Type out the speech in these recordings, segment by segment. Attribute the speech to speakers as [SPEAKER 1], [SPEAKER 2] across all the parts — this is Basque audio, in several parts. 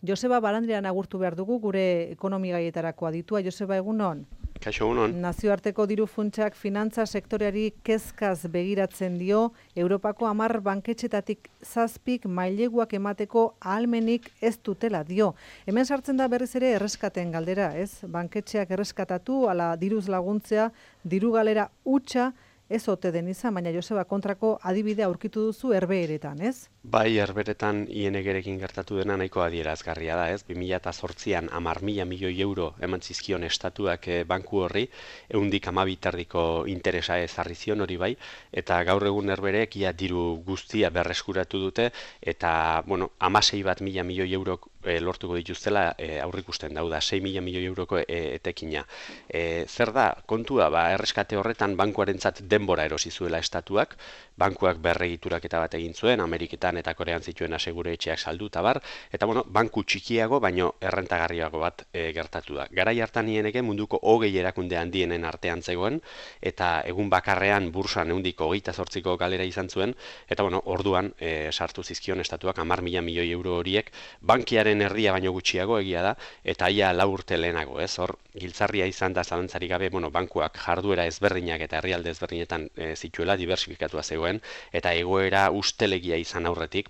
[SPEAKER 1] Joseba Balandrian agurtu behar dugu gure ekonomigaietarako aditua. Joseba, egunon?
[SPEAKER 2] Kaixo, egunon.
[SPEAKER 1] Nazioarteko diru funtsak finantza sektoreari kezkaz begiratzen dio, Europako 10 banketxetatik 7 maileguak emateko ahalmenik ez dutela dio. Hemen sartzen da berriz ere erreskaten galdera, ez? Banketxeak erreskatatu, ala diruz laguntzea, diru galera hutsa, ez ote den izan, baina Joseba kontrako adibidea aurkitu duzu Herbeheretan, ez?
[SPEAKER 2] Bai, Herbeheretan ING-rekin gertatu dena nahiko adierazgarria da, ez? 2008an 10.000 milioi euro eman zizkion estatuak banku horri, 112 interesa ezarri zion hori bai, eta gaur egun Herbeherek ia diru guztia berreskuratu dute, eta, 16.000 milioi euro lortuko dituztela aurrikusten dauda, 6.000 milioi euroko etekina. Zer da, kontua, erreskate horretan bankuarentzat denbora erosi zuela estatuak, bankuak berregituraketa bat egin zuen, Ameriketan eta Korean zituen asegure etxeak saldu eta bar, eta banku txikiago baino errentagarriago bat gertatu da. Garai hartan ING munduko 20 erakunde handienen artean zegoen, eta egun bakarrean bursan 128ko galera izan zuen, eta orduan sartu zizkion estatuak 10.000 milioi euro horiek, bankiaren erdia baino gutxiago egia da, eta ia 4 urte lehenago, ez? Hor, giltzarria izan da zalantzarik gabe, bankuak jarduera ezberdinak eta herrialde ezberdinetan zituela, diversifikatua zegoen, eta egoera ustelegia izan aurretik,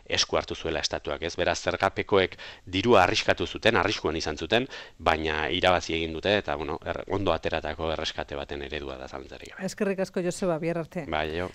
[SPEAKER 2] esku hartu zuela estatuak, ez? Beraz, zergapekoek dirua arriskuan izan zuten, baina irabazi egin dute, eta ondo ateratako erreskate baten eredua da zalantzarik gabe.
[SPEAKER 1] Eskerrik asko, Joseba, bihar arte.
[SPEAKER 2] Bai, jo.